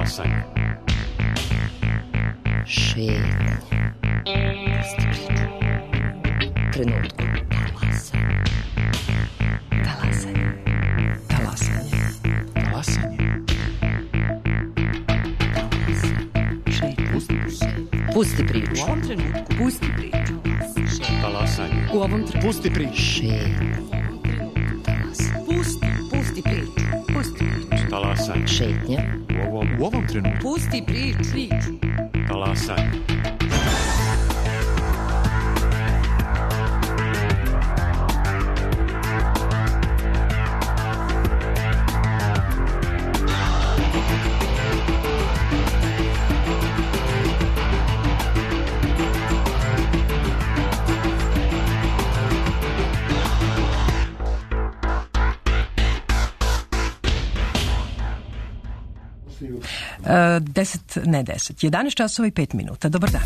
Talasanje. Šetnje. Trenutku. Talasanje. Talasanje. Talasanje. Pusti priču. U ovom trenutku pusti priču. Talasanje. U ovom trenutku Pusti priču. Šetnje. pusti priču. Pusti priču. Talasanje. Šetnja. U ovom trenutku. Pusti priču. Talasanje. Deset, ne 10, 11 časova i 5 minuta. Dobar dan.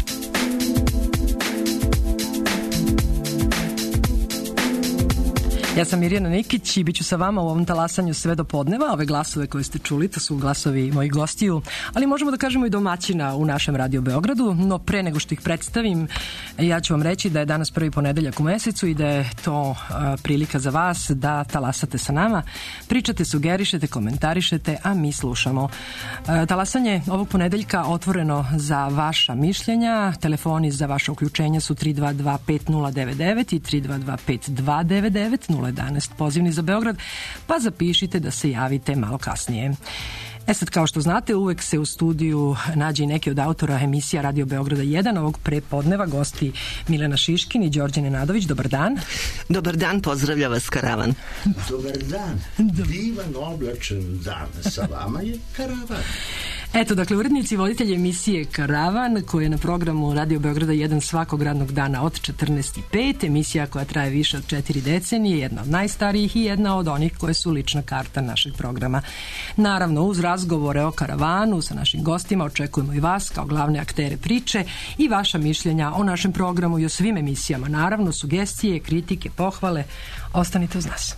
Ja sam Mirjana Nikić i bit ću sa vama u ovom talasanju sve do podneva. Ove glasove koje ste čuli, to su glasovi mojih gostiju, ali možemo da kažemo i domaćina u našem Radio Beogradu. No pre nego što ih predstavim, ja ću vam reći da je danas prvi ponedeljak u mesecu i da je to prilika za vas da talasate sa nama. Pričate, sugerišete, komentarišete, a mi slušamo. Talasanje ovog ponedeljka otvoreno za vaša mišljenja. Telefoni za vaše uključenje su 322 5099 i 322 5299 011 pozivni za Beograd, pa zapišite da se javite malo kasnije. Sad, kao što znate, uvek se u studiju nađe i neki od autora emisija Radio Beograda 1. Ovog prepodneva gosti Milena Šiškin i Đorđe Nenadović. Dobar dan. Dobar dan, pozdravlja vas Karavan. Dobar dan. Divan oblačan dan. Sa vama je Karavan. Eto, dakle, urednici i voditelji emisije Karavan, koja je na programu Radio Beograda 1 svakog radnog dana od 14:05, emisija koja traje više od 4 decenije, jedna od najstarijih i jedna od onih koje su lična karta našeg programa. Naravno, uz razgovore o Karavanu sa našim gostima očekujemo i vas kao glavne aktere priče i vaša mišljenja o našem programu i o svim emisijama. Naravno, sugestije, kritike, pohvale. Ostanite uz nas.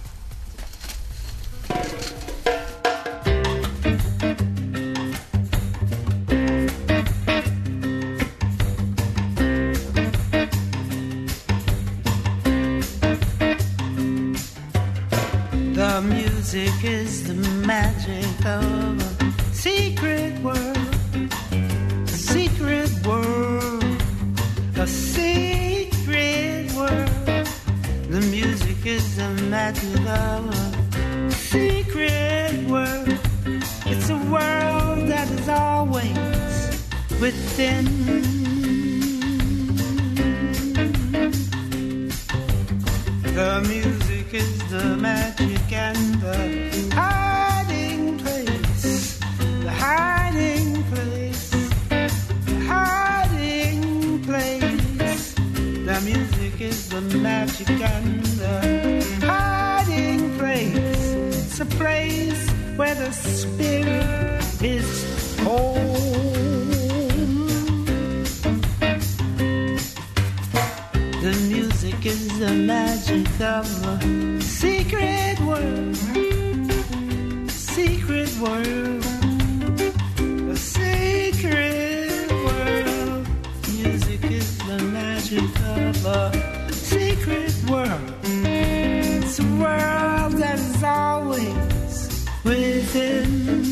The music is the magic of a secret world, a secret world, a secret world. The music is the magic of a secret world. It's a world that is always within. The music is the magic and the hiding place, the hiding place, the hiding place. The music is the magic and the hiding place. It's a place where the spirit is home. The music is the magic of a secret world, secret world, a secret world. Music is the magic of a secret world. It's a world that is always within.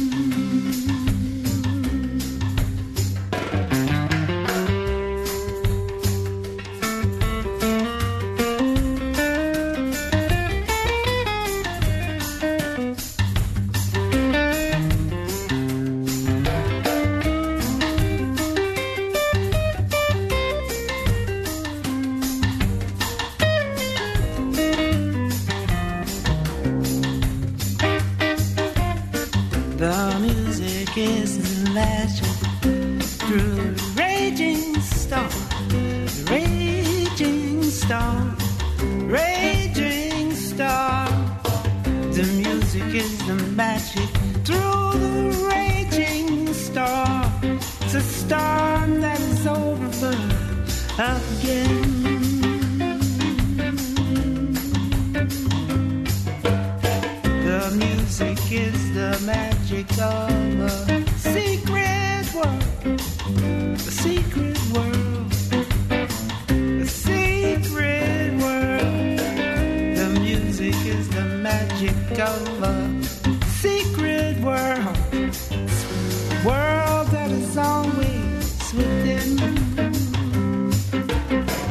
The music is the magic through the raging storm, the raging storm, raging storm. The music is the magic through the raging storm. It's a storm that is over again. The music is the magic of a secret magic of a secret world, world that is always within.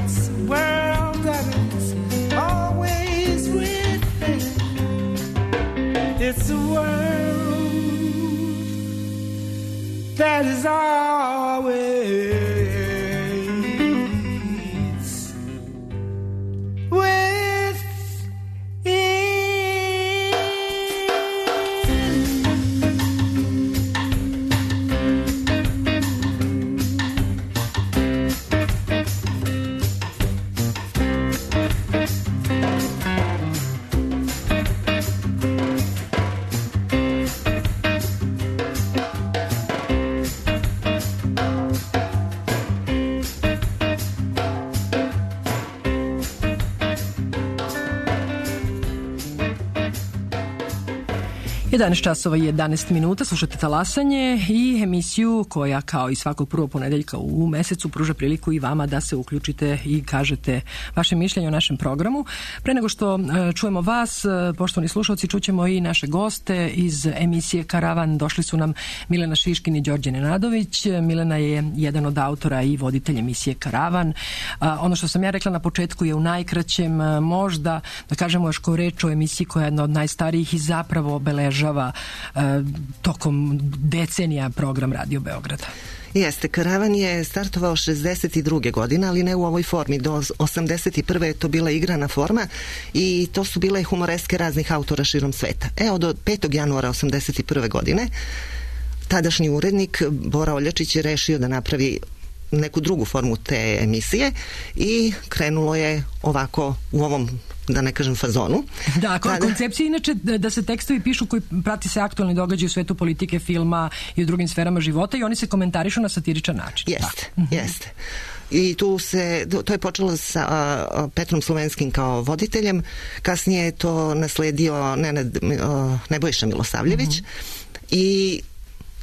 It's a world that is always within. It's a world that is always Je 11 časova i 11 minuta, slušate Talasanje i emisiju koja kao i svakog prvog ponedeljka u mesecu pruža priliku i vama da se uključite i kažete vaše mišljenje o našem programu. Pre nego što čujemo vas, poštovani slušalci, čućemo i naše goste iz emisije Karavan. Došli su nam Milena Šiškin i Đorđe Nenadović. Milena je jedan od autora i voditelj emisije Karavan. Ono što sam ja rekla na početku je u najkraćem, možda da kažemo još ko reč o emisiji koja je jedna od najstarijih i zapravo obeležava tokom decenija program Radio Beograda. Jeste, Karavan je startovao 62. godine, ali ne u ovoj formi. Do 81. je to bila igrana forma i to su bile humoreske raznih autora širom sveta. Od 5. januara 81. godine tadašnji urednik Bora Oljačić je rešio da napravi neku drugu formu te emisije i krenulo je ovako u ovom, da ne kažem, fazonu. Da, koncepcija inače da se tekstovi pišu koji prati se aktualni događaj u svetu politike, filma i u drugim sferama života i oni se komentarišu na satiričan način. Jeste. I to je počelo sa Petrom Slovenskim kao voditeljem, kasnije je to nasledio Nebojša Milosavljević i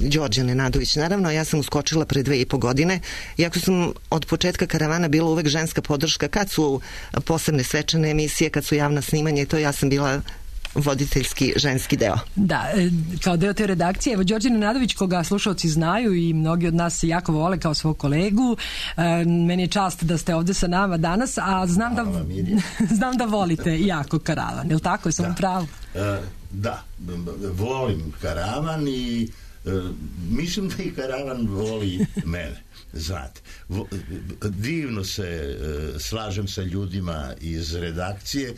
Đorđe Nenadović. Naravno, ja sam uskočila pre 2,5 godine, iako sam od početka Karavana bila uvek ženska podrška, kad su posebne svečane emisije, kad su javna snimanja i to, ja sam bila voditeljski ženski deo. Da, kao deo te redakcije. Evo, Đorđe Nenadović, koga slušalci znaju i mnogi od nas se jako vole kao svog kolegu, meni je čast da ste ovde sa nama danas, a znam da volite jako Karavan, je li tako? Jesam u pravu? Da, volim Karavan i mislim da i Karavan voli mene, znate. Divno se slažem sa ljudima iz redakcije,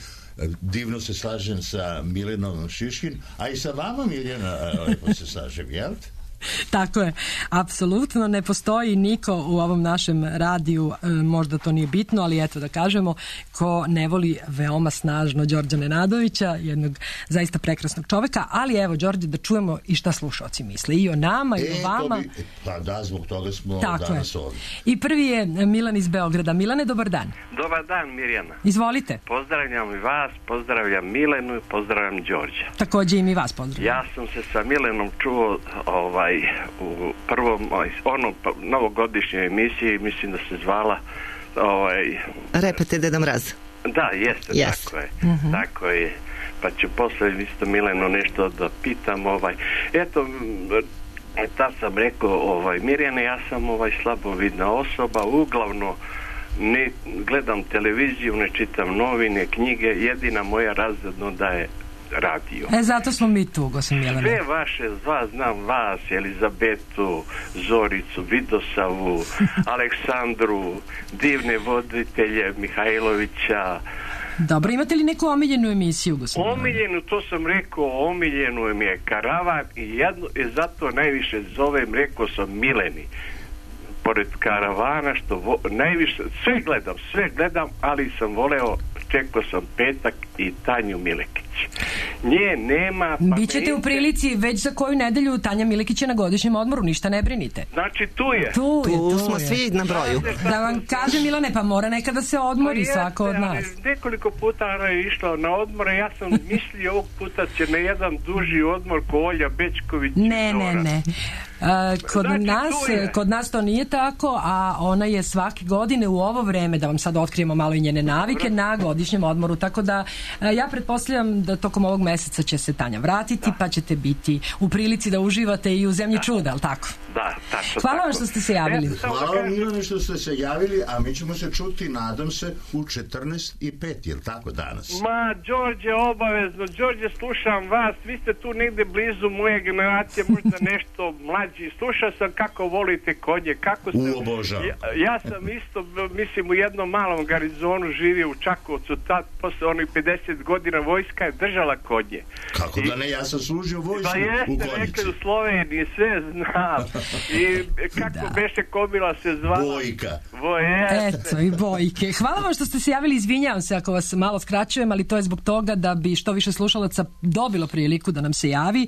divno se slažem sa Milenom Šiškin, a i sa vama, Miljana, lepo se slažem, jel? Tako je, apsolutno ne postoji niko u ovom našem radiju, možda to nije bitno, ali eto da kažemo, ko ne voli veoma snažno Đorđa Nenadovića, jednog zaista prekrasnog čoveka, ali evo, Đorđe, da čujemo i šta slušaoci misle i o nama i o vama. Pa da, zbog toga smo danas ovdje. I prvi je Milan iz Beograda. Milane, dobar dan. Dobar dan, Mirjana. Izvolite. Pozdravljam i vas, pozdravljam Milenu i pozdravljam Đorđa. Takođe i mi vas pozdravljam. Ja sam se sa Milenom čuo u prvom novogodišnjoj emisiji, mislim da se zvala Repete Deda Mraz. Da, jeste. Tako je. Tako je. Pa ću posle isto Mileno nešto da pitam. Eto, tad sam rekao, Mirjane, ja sam slabovidna osoba, uglavnom ne gledam televiziju, ne čitam novine, knjige, jedina moja razredno da je radio. Zato smo mi tu, gospodin Milana. Sve vaše, znam vas, Elizabetu, Zoricu, Vidosavu, Aleksandru, divne voditelje Mihajlovića. Dobro, imate li neku omiljenu emisiju, gospodin? Omiljenu, to sam rekao, omiljenu mi je Karavan i zato najviše zovem, rekao sam Mileni. Pored Karavana, što najviše, sve gledam, ali sam voleo, čekao sam petak i Tanju Milekić. Nje nema... Bićete u prilici već za koju nedelju. Tanja Milekić je na godišnjem odmoru, ništa ne brinite. Znači tu je. Tu smo svi na broju. Da vam kažem, Milane, pa mora nekada se odmori svako od nas. Nekoliko puta ona je išla na odmore, ja sam mislio ovog puta će na jedan duži odmor ko Olja Bečković. Ne. Kod nas to nije tako, a ona je svake godine u ovo vreme, da vam sad otkrijemo malo i njene navike, na godišnjem odmoru, tako da ja pretpostavljam da tokom ovog meseca će se Tanja vratiti, pa ćete biti u prilici da uživate i u Zemlji čuda, ali tako? Da, tačno. Hvala vam što ste se javili. Hvala vam, Milane, što ste se javili, a mi ćemo se čuti, nadam se, u 14:05, je li tako danas? Ma, Đorđe, obavezno. Đorđe, slušam vas. Vi ste tu negde blizu moje generacije, možda nešto mlađi. Slušao sam kako volite konje. Kako ste... Obožavam. Ja sam isto, mislim, u jednom malom garizonu živio u Čakovcu. Tad, posle onih 50 godina, vojska je držala konje. Kako da ne, ja sam služio vojsku pa u jeste, Konjici. rekli u Sloveniji, sve znam. I kako beše komila se zvala? Bojka. Eto, i Bojke. Hvala vam što ste se javili, izvinjavam se ako vas malo skraćujem, ali to je zbog toga da bi što više slušalaca dobilo priliku da nam se javi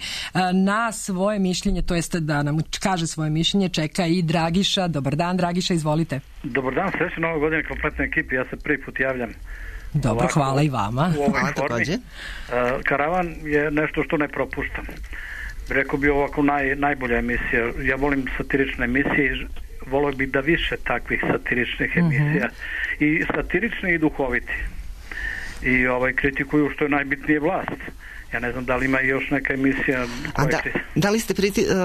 na svoje mišljenje, to jeste da nam kaže svoje mišljenje, čeka i Dragiša. Dobar dan, Dragiša, izvolite. Dobar dan, srećno nove godine kompletnoj ekipi, ja se prvi put javljam. Dobro, ovako, hvala i vama. Hvala takođe. Karavan je nešto što ne propuštam. Rekao bi ovako najbolja emisija. Ja volim satirične emisije, volio bih da više takvih satiričnih emisija. I satirični i duhoviti. I kritikuju što je najbitnije vlast. Ja ne znam da li ima još neka emisija koja... Da li ste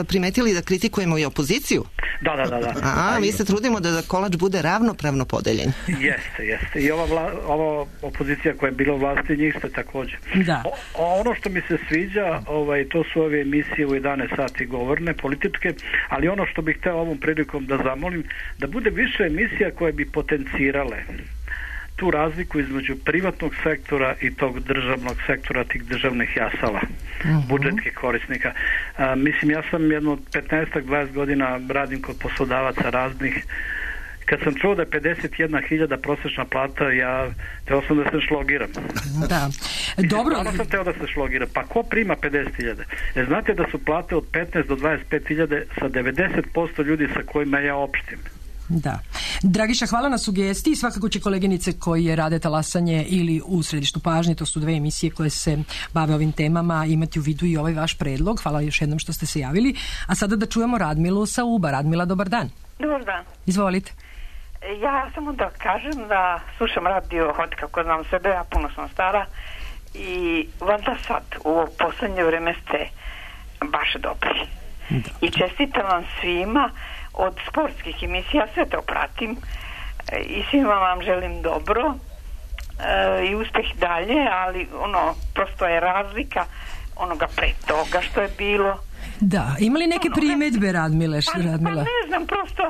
primetili da kritikujemo i opoziciju? Da. Mi se trudimo da kolač bude ravnopravno podeljen. Jeste. I ova opozicija koja je bila u vlasti, njih ste također. Da. Ono što mi se sviđa, to su ove emisije u 11 sati govorne, političke, ali ono što bih hteo ovom prilikom da zamolim, da bude više emisija koje bi potencirale tu razliku između privatnog sektora i tog državnog sektora, tih državnih jasala, budžetskih korisnika. Mislim, ja sam jedno 15-20 godina radim kod poslodavaca raznih. Kad sam čuo da je 51.000 prosječna plata, ja teo sam da se šlogiram. Da. Dobro. Stvarno sam teo da se šlogiram. Pa ko prima 50.000? Znate da su plate od 15 do 25.000 sa 90% ljudi sa kojima ja opštim. Da. Dragiša, hvala na sugestiji. Svakako će koleginice koje rade Talasanje ili u Središtu pažnje, to su 2 emisije koje se bave ovim temama, imati u vidu i ovaj vaš predlog. Hvala još jednom što ste se javili. A sada da čujemo Radmilu sa Uba. Radmila, dobar dan. Dobar dan. Izvolite. Ja samo da kažem da slušam radio od kako znam sebe, ja puno sam stara i valjda sad u ovo poslednje vreme ste baš dobri. I čestitam vam svima od sportskih emisija, sve to pratim i svima vam želim dobro i uspeh dalje, ali prosto je razlika onoga pre toga što je bilo. Da, ima li neke primedbe, Radmila? Pa ne znam, prosto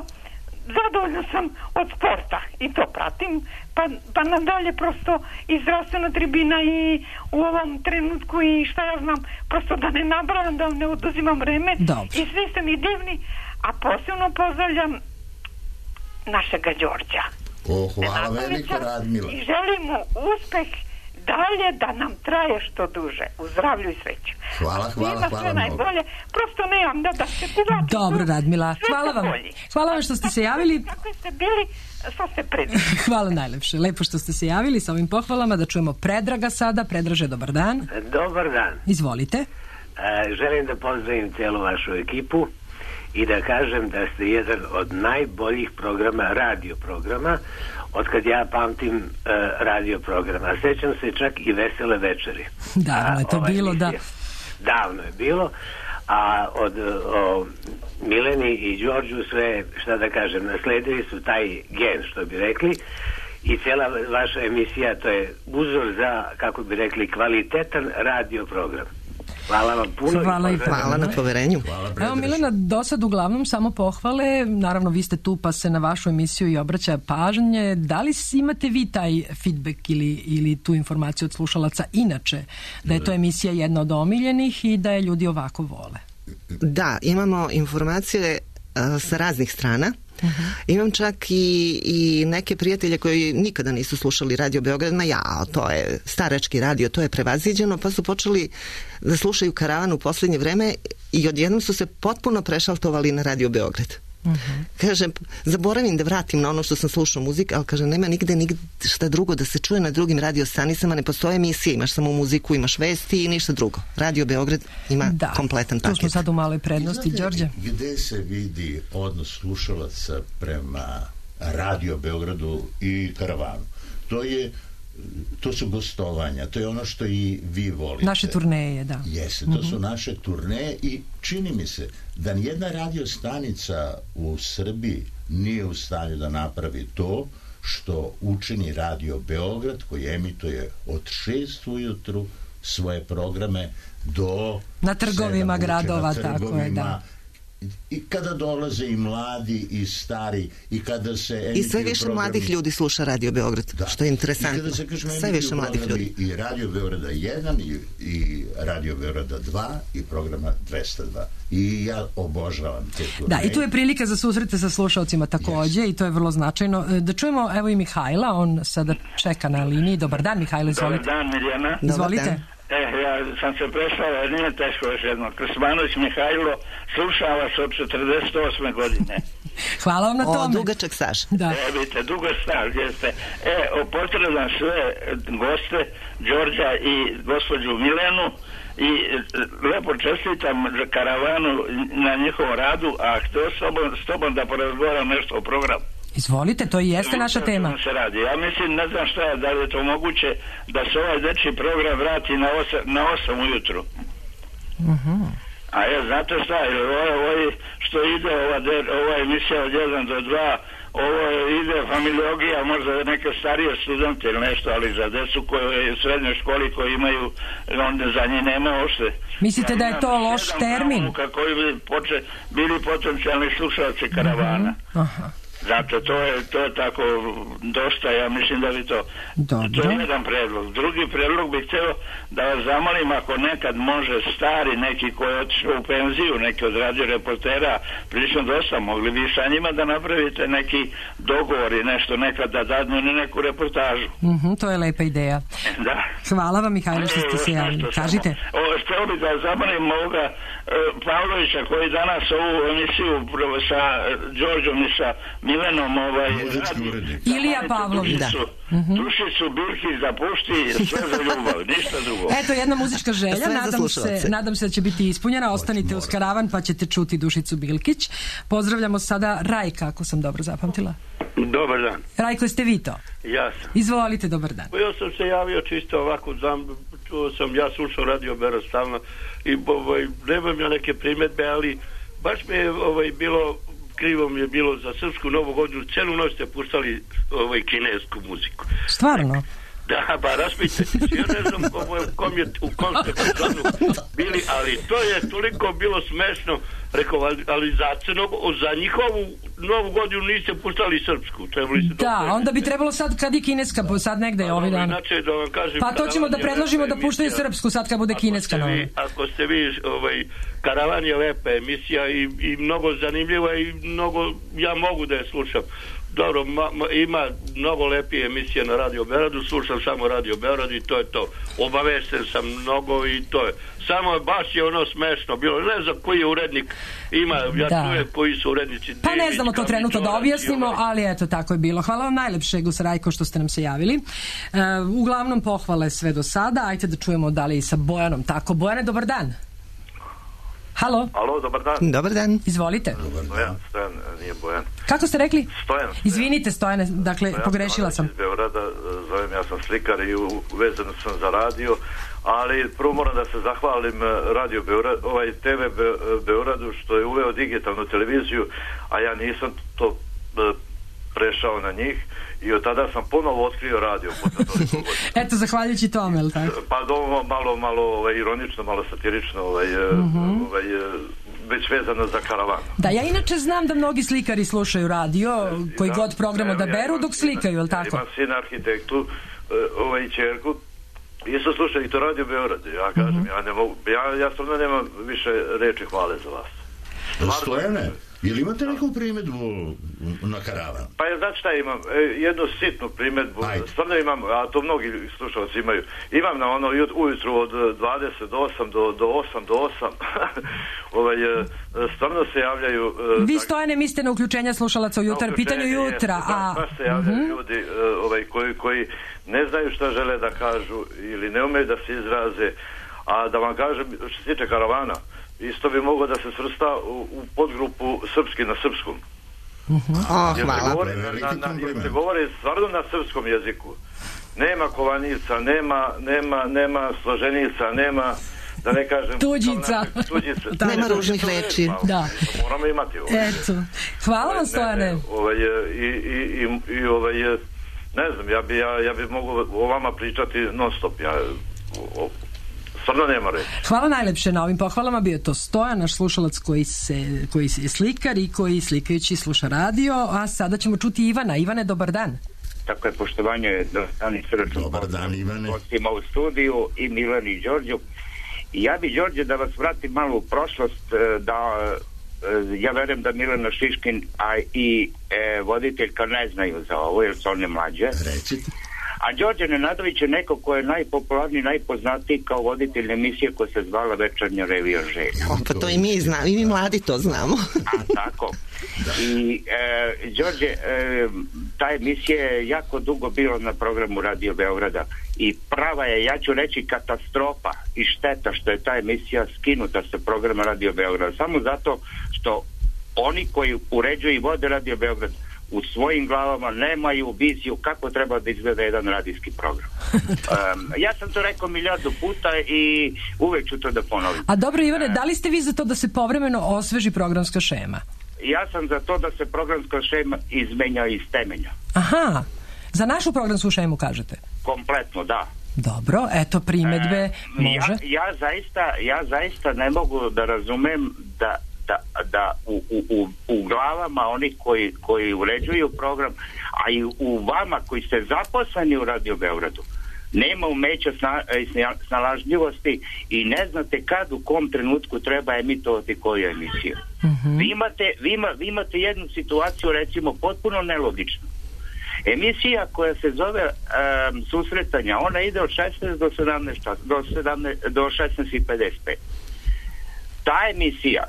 zadovoljna sam od sporta i to pratim, pa nadalje prosto i zdravstvena tribina i u ovom trenutku i šta ja znam, prosto da ne nabrajam, da ne oduzimam vreme. Dobro. I svi ste mi divni, a posebno pozdravljam našega Đorđa. Hvala veliko, Radmila. I želim mu uspeh dalje, da nam traje što duže, u zdravlju i sreću. Hvala sve najbolje, prosto nemam da se kuvatim. Dobro, Radmila, hvala vam što ste se javili. Kako ste bili, što ste predili. Hvala najlepše, lepo što ste se javili sa ovim pohvalama. Da čujemo Predraga sada. Predraže, dobar dan. Dobar dan. Izvolite. Želim da pozdravim celu vašu ekipu i da kažem da ste jedan od najboljih programa, radio programa, od kad ja pamtim radio program. A sećam se čak i Vesele večeri. Davno je to bilo, da. Davno je bilo. A od Mileni i Đorđu sve, šta da kažem, nasledili su taj gen, što bi rekli, i cijela vaša emisija, to je uzor za, kako bi rekli, kvalitetan radio program. Hvala vam puno. Hvala na poverenju. Evo, Milena, do sad uglavnom samo pohvale. Naravno, vi ste tu pa se na vašu emisiju i obraća pažnje. Da li imate vi taj feedback ili tu informaciju od slušalaca inače, da je to emisija jedna od omiljenih i da je ljudi ovako vole? Da, imamo informacije sa raznih strana. Imam čak i neke prijatelje koji nikada nisu slušali Radio Beograd, to je starački radio, to je prevaziđeno, pa su počeli da slušaju Karavan u posljednje vreme i odjednom su se potpuno prešaltovali na Radio Beograd. Kaže, zaboravim da vratim na ono što sam slušao muzik, ali kaže, nema nigde šta drugo da se čuje na drugim radio stanicama, ne postoje emisije, imaš samo muziku, imaš vesti i ništa drugo. Radio Beograd ima kompletan paket. Tu smo sad u maloj prednosti, Đorđe. Gde se vidi odnos slušalaca prema Radio Beogradu i Karavanu? To je to su gostovanja, to je ono što i vi volite. Naše turneje, da. Jeste, to su naše turneje i čini mi se da nijedna radio stanica u Srbiji nije u stanju da napravi to što učini Radio Beograd, koji emituje od 6 ujutru svoje programe do na trgovima gradova, tako je, da. I kada dolaze i mladi i stari i kada se i sve više mladih ljudi sluša Radio Beograd, što je interesantno. Sve više mladih ljudi. I Radio Beograda 1 i Radio Beograda 2 i programa 202. I ja obožavam te turneje. Da, i tu je prilika za susrete sa slušalcima takođe i to je vrlo značajno. Da čujemo, evo i Mihajla, on sada čeka na liniji. Dobar dan, Mihajlo, izvolite. Dobar dan, Mirjana. Izvolite. Ja sam se prešao, jer nije teško još jedno. Krsmanović Mihajlo, slušao vas od 48. godine. Hvala vam na tome. Dugačak staž. Da. Vidite, dugo staž, jeste. Pozdravljam sve goste, Đorđa i gospođu Milenu i lepo čestitam karavanu na njihovom radu, a htio s tobom da porazgovaram nešto o programu. Izvolite, to i jeste naša tema. Se radi. Ja mislim, ne znam šta je, da li je to moguće da se ovaj dečji program vrati na 8 ujutru. A znate šta, ovo što ide ova emisija od 1 do 2, ovo ide familiologija, možda neke starije studente ili nešto, ali za decu koje u srednjoj školi koji imaju, onda za njih nema ošte. Mislite da je to loš termin? Kako bi bili potencijalni slušalci karavana. Zato to je tako dosta, ja mislim da bi to... Dobro. To je jedan predlog. Drugi predlog bih htio da vas zamolim, ako nekad može stari neki koji je otišao u penziju, neki od radio reportera, prilično dosta, mogli bi sa njima da napravite neki dogovor i nešto nekad da dadnu neku reportažu. To je lepa ideja. Da. Hvala vam, Mihajlo, što ste se javili. Kažite. Htio bih da zamolim ovoga Pavlovića koji danas ovu emisiju sa Đorđom i sa Milenom Ilija Pavlović. Dušicu, Birki, zapušti, sve za ljubav, ništa drugo. Eto, jedna muzička želja, nadam se da će biti ispunjena. Ostanite uz karavan pa ćete čuti Dušicu Bilkić. Pozdravljamo sada Rajka, ako sam dobro zapamtila. Dobar dan. Rajko, ste vi to? Ja sam. Izvolite, dobar dan. Ja sam se javio čisto ovako, ja slušao Radio Beograd stalno i nemam ja neke primjedbe, ali baš mi je bilo, krivo mi je bilo za srpsku Novu godinu, celu noć ste puštali kinesku muziku. Stvarno? Da, pa raspite, ja ne znam u kom ste planu bili, ali to je toliko bilo smešno, rekao, ali za njihovu Novu godinu niste puštali srpsku. Da, onda bi trebalo sad kad i kineska, sad negde je ovaj dan. Pa to ćemo da predložimo da puštaju srpsku sad kad bude kineska nova. Ako ste vi, Karavan je lepa emisija i mnogo zanimljiva i mnogo, ja mogu da je slušam. Dobro, ima mnogo lepije emisije na Radio Beogradu, slušam samo Radio Beograd i to je to. Obavešten sam mnogo i to je. Samo baš je ono smešno bilo. Ne znam koji je urednik ima, ja čujem koji su urednici. Pa ne znamo to trenutno da objasnimo, ali eto, tako je bilo. Hvala vam najlepše, Gus Rajko, što ste nam se javili. Uglavnom pohvale sve do sada. Ajde da čujemo da li i sa Bojanom. Tako, Bojane, dobar dan. Halo? Alo, dobar dan. Dobar dan. Izvolite. Stojan, nije Bojan. Kako ste rekli? Stojan. Izvinite, Stojane, dakle, pogrešila sam. Iz Beograda, zovem, ja sam slikar i uvezan sam za radio, ali prvo moram da se zahvalim Radio Beograd, TV Beogradu što je uveo digitalnu televiziju, a ja nisam to prešao na njih i od tada sam ponovo otkrio radio. Eto, zahvaljujući tome, je li tako? Pa malo ironično, malo satirično, već vezano za Karavanu. Da, ja inače znam da mnogi slikari slušaju radio, koji god program odaberu dok slikaju, je li tako? Imam sina arhitektu, i čerku, isto slušaju i to Radio Beograd. Ja kažem, ja ne mogu, ja stvarno nemam više reči hvale za vas. Stojane, je li imate neku primjedbu na Karavan? Pa znači šta imam? Jednu sitnu primjedbu. Stvarno imam, a to mnogi slušalci imaju. Imam na ono ujutru od 28 do 8 do 8. Stvarno se javljaju... Vi, Stojane, mislite na uključenja slušalaca u jutar, pitanju jutra. Baš se javljaju ljudi koji ne znaju šta žele da kažu ili ne umeju da se izraze. A da vam kažem, što se tiče Karavana, isto bi moglo da se svrsta u podgrupu srpski na srpskom. Hvala. Jer se govori stvarno na srpskom jeziku. nema kovanica, nema složenica, nema, da ne kažem... Tuđica. Nema ružnih reči. Da. Moramo imati. Eto. Hvala vam, Stojane. Ne znam, ja bi mogu o vama pričati non stop. Stvarno nema reći. Hvala najlepše na ovim pohvalama. Bio je to Stojan, naš slušalac koji je slikar i koji slikajući sluša radio. A sada ćemo čuti Ivana. Ivane, dobar dan. Tako je, poštovanje, dobar i srdačno. Dobar dan, Ivane. Gostima u studiju i Milan i Đorđu. Ja bi, Đorđe, da vas vratim malo u prošlost, ja verujem da Milena Šiškin, a i voditeljka ne znaju za ovo, jer su one mlađe. Recite. A Đorđe Nenadović je neko ko je najpopularniji, najpoznatiji kao voditelj emisije koja se zvala Večernja revija želja. Pa to i mi znamo, i mi mladi to znamo. A tako. I Đorđe, ta emisija je jako dugo bila na programu Radio Beograda i prava je, ja ću reći, katastrofa i šteta što je ta emisija skinuta sa programa Radio Beograda. Samo zato što oni koji uređuju i vode Radio Beograd u svojim glavama nemaju viziju kako treba da izgleda jedan radijski program. Ja sam to rekao milijardu puta i uvek ću to da ponovim. A dobro, Ivane, da li ste vi za to da se povremeno osveži programska šema? Ja sam za to da se programska šema izmenja iz temelja. Aha, za našu programsku šemu kažete? Kompletno, da. Dobro, eto primedbe, može. Ja zaista ne mogu da razumem da u glavama onih koji uređuju program, a i u vama koji ste zaposleni u Radio Beogradu, nema umeća snalažljivosti i ne znate kad u kom trenutku treba emitovati koju emisiju. Vi imate jednu situaciju, recimo, potpuno nelogičnu. Emisija koja se zove Susretanja, ona ide od 16 do 17 do 16:55. Ta emisija,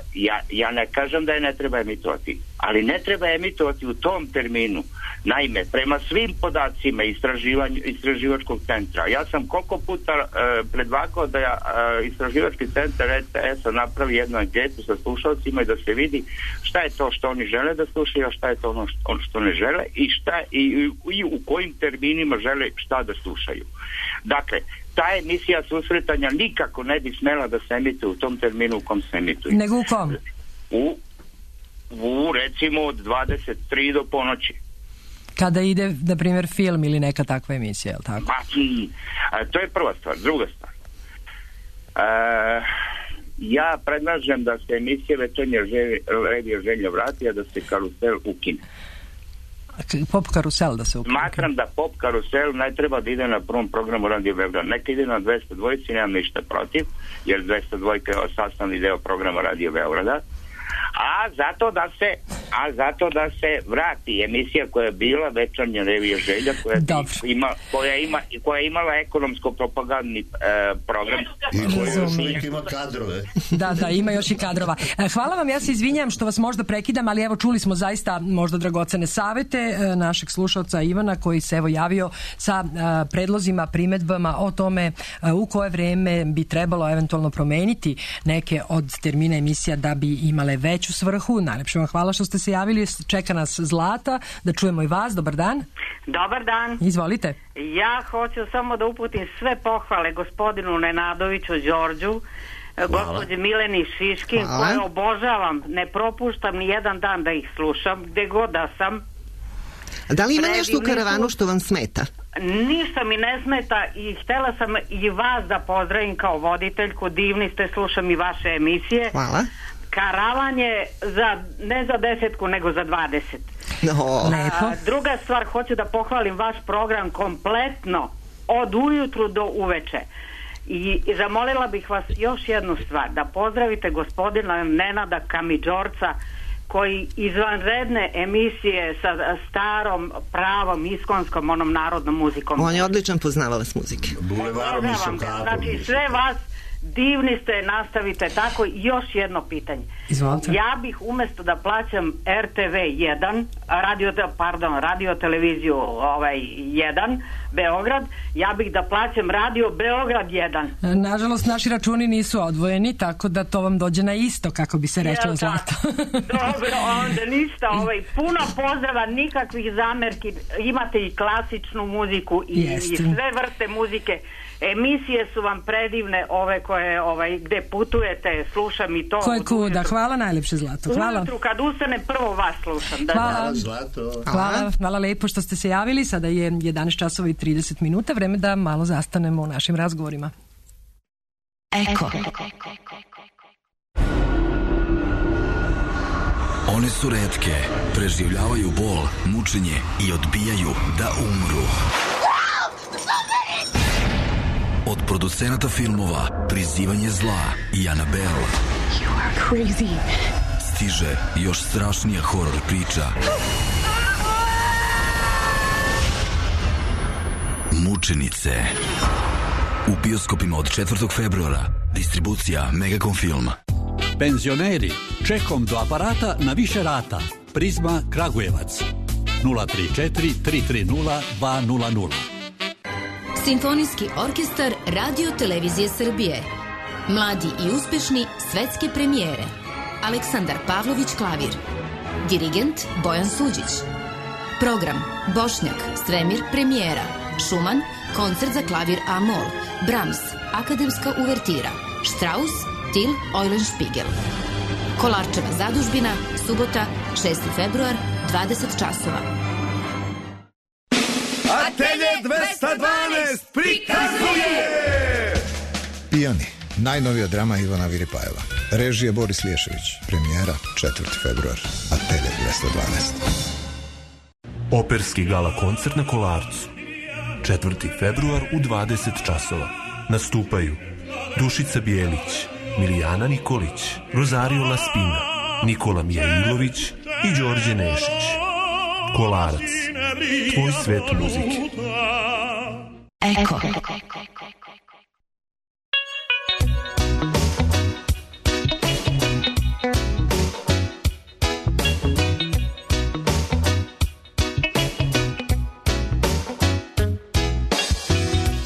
ja ne kažem da je ne treba emitovati, ali ne treba emitovati u tom terminu. Naime, prema svim podacima istraživačkog centra, ja sam koliko puta predvakao da istraživački centar RTS-a napravi jednu anketu sa slušalcima i da se vidi šta je to što oni žele da slušaju, a šta je to ono što ne žele i u kojim terminima žele šta da slušaju. Dakle, ta emisija Susretanja nikako ne bi smela da se emituje u tom terminu u kom se emituje. Nego u kom? U recimo od 23 do ponoći. Kada ide, na primjer, film ili neka takva emisija, je li tako? To je prva stvar. Druga stvar. Ja predlažem da se emisija Večernja revija želja vrati, a da se Karusel ukine. Pop Karusel da se ukine? Smatram da Pop Karusel ne treba da ide na prvom programu Radio Beograd. Neka ide na 202, nemam ništa protiv, jer 202 je sastavni deo programa Radio Beograda. A zato da se vrati emisija koja je bila Večernja revija želja, koja je imala ekonomsko-propagandni program. I ima kadrove. Da, ima još i kadrova. Hvala vam, ja se izvinjam što vas možda prekidam, ali evo čuli smo zaista možda dragocene savete našeg slušalca Ivana koji se evo javio sa predlozima, primedbama o tome u koje vreme bi trebalo eventualno promeniti neke od termina emisija da bi imale veću svrhu. Najlepše vam hvala što ste se javili. Čeka nas Zlata, da čujemo i vas. Dobar dan. Dobar dan. Izvolite. Ja hoću samo da uputim sve pohvale gospodinu Nenadoviću Đorđu, gospođe Mileni Šiškin, koje obožavam, ne propuštam ni jedan dan da ih slušam, gde god da sam. Da li ima nešto u karavanu što vam smeta? Ništa mi ne smeta i htjela sam i vas da pozdravim kao voditeljku, divni ste, slušam i vaše emisije. Hvala. Karavan je ne za 10, nego za 20. Druga stvar, hoću da pohvalim vaš program kompletno od ujutru do uveče. I zamolila bih vas još jednu stvar, da pozdravite gospodina Nenada Kamidžorca, koji izvanredne emisije sa starom, pravom, iskonskom, onom narodnom muzikom. On je odličan poznavalac muzike. Znači sve vas divni ste, nastavite tako. Još jedno pitanje. Izvolite. Ja bih umjesto da plaćam RTV 1, radio televiziju 1, Beograd, ja bih da plaćam radio Beograd 1. Nažalost, naši računi nisu odvojeni, tako da to vam dođe na isto, kako bi se reklo, Zlato. Dobro, onda ništa, puno pozdrava, nikakvih zamerki, imate i klasičnu muziku i sve vrste muzike. Emisije su vam predivne, ove koje gde putujete, slušam i to. Koje kuda, hvala najlepše, Zlato. Hvala. Ujutru kad ustanem prvo vas slušam. Hvala, Zlato. Hvala lepo što ste se javili. Sada je 11 časova i 30 minuta, vreme da malo zastanemo u našim razgovorima. Eko. One su retke, preživljavaju bol, mučenje i odbijaju da umru. Od producenata filmova Prizivanje zla i Annabelle stiže još strašnija horor priča. Mučenice. U bioskopima od 4. februara. Distribucija Megacom Film. Penzioneri, čekom do aparata na više rata. Prizma Kragujevac 034 330 200. Simfonijski orkestar Radio Televizije Srbije. Mladi i uspešni svetske premijere. Aleksandar Pavlović klavir. Dirigent Bojan Suđić. Program Bošnjak, Stremir premijera. Šuman, koncert za klavir A-mol. Brahms, akademska uvertira. Strauss, Til Eulenspiegel. Kolarčeva zadužbina, subota, 6. februar, 20 časova. Atelje 212 prikazuje Pijani, najnovija drama Ivana Viripajeva. Režija Boris Liješević. Premijera 4. februar. Atelje 212. Operski gala koncert na Kolarcu. 4. februar u 20 časova. Nastupaju Dušica Bijelić, Milijana Nikolić, Rosario Laspina, Nikola Mijailović i Đorđe Nešić. Kolarac. Tvoj svet muzike. Eko.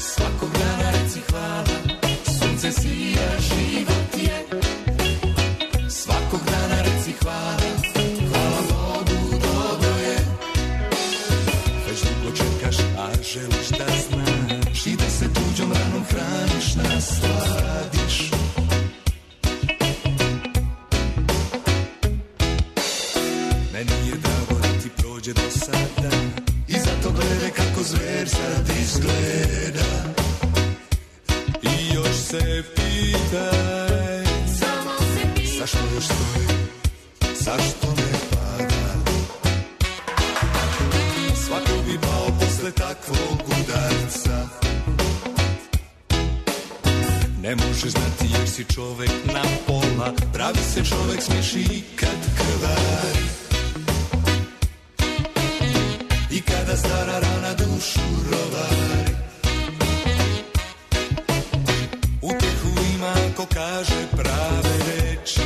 Svakog dana reci hvala, sunce sija, život je. Svakog dana reci hvala, hvala Bogu, dobro je. Već dugo čekaš, a želiš da znaš i da se tuđom ranom hraniš, nasladiš. Meni je drago da ti prođe do sada i zato gledaj kako zver sad izgleda. I još se pitaj, zašto još stoji, zašto ne pada. Svako bi pao posle takvog udarca. Ne možeš znati jer si čovek na pola, pravi se čovek smiješi i kad krvari. I kada stara rana dušu rovari. Utehu ima ko kaže prave reči.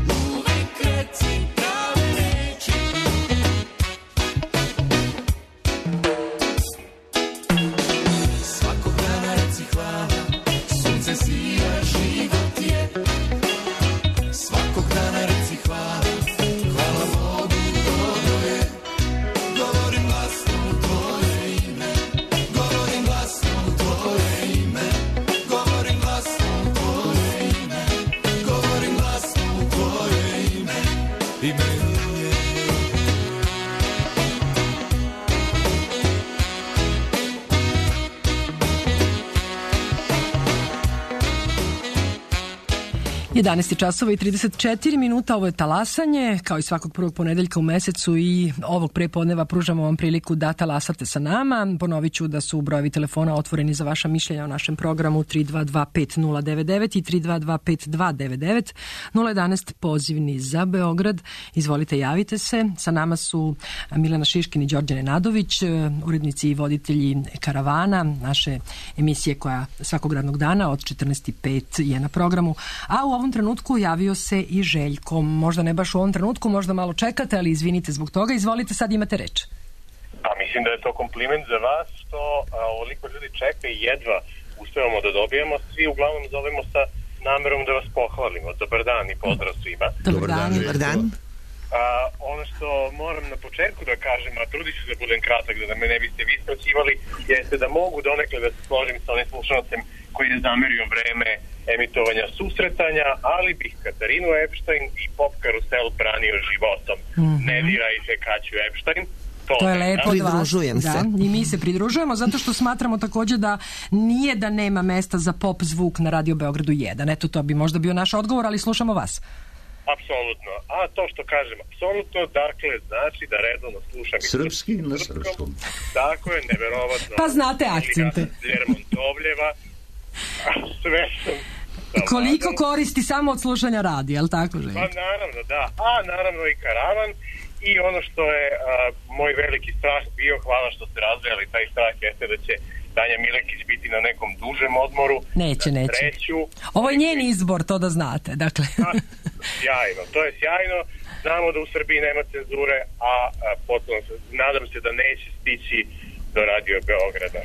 Uvek reci prave reči. Svakog dana reci hvala, sunce sija, život je. Svakog dana reci hvala, hvala Bogu, dobro je. Govorim glasno u tvoje ime, govorim glasno u tvoje ime, 11 časova i 34 minuta, ovo je talasanje, kao i svakog prvog ponedeljka u mesecu i ovog prepodneva pružamo vam priliku da talasate sa nama. Ponovit ću da su brojevi telefona otvoreni za vaša mišljenja o našem programu 3225099 i 3225299, 011 pozivni za Beograd. Izvolite, javite se. Sa nama su Milena Šiškin i Đorđe Nenadović, urednici i voditelji Karavana, naše emisije koja svakog radnog dana od 14:05 je na programu. A u ovom trenutku javio se i Željko. Možda ne baš u ovom trenutku, možda malo čekate, ali izvinite zbog toga. Izvolite, sad imate reč. Pa mislim da je to kompliment za vas što ovoliko ljudi čeka i jedva uspevamo da dobijemo. Svi uglavnom zovemo sa namerom da vas pohvalimo. Dobar dan i pozdrav svima. Dobar dan. Dobar dan. Ono što moram na početku da kažem, a trudit ću da budem kratak, da me ne biste vi skraćivali, jeste da mogu donekle da se složim sa onim slušalcem koji je zamerio vreme emitovanja susretanja, ali bih Katarinu Epstein i Pop Karusel branio životom. Ne dirajte Kaću Epstein. To je lepo od vas. Pridružujem se. I mi se pridružujemo zato što smatramo također da nije da nema mesta za pop zvuk na Radio Beogradu 1. Eto, to bi možda bio naš odgovor, ali slušamo vas. Apsolutno. A to što kažem, apsolutno, dakle, znači da redovno slušam i srpski na srpskom. Tako je, neverovatno. Pa znate akcente. Lermontovljeva. Sve sam... Koliko koristi samo od slušanja radija, jel tako, Željko? Pa naravno, da. A naravno i Karavan. I ono što je moj veliki strah bio, hvala što ste razvijali taj strah, jeste da će Tanja Milekić biti na nekom dužem odmoru. Neće. Treću. Ovo je njen izbor, to da znate. Dakle. Sjajno, to je sjajno. Znamo da u Srbiji nema cenzure, a potom nadam se da neće stići do Radio Beograda.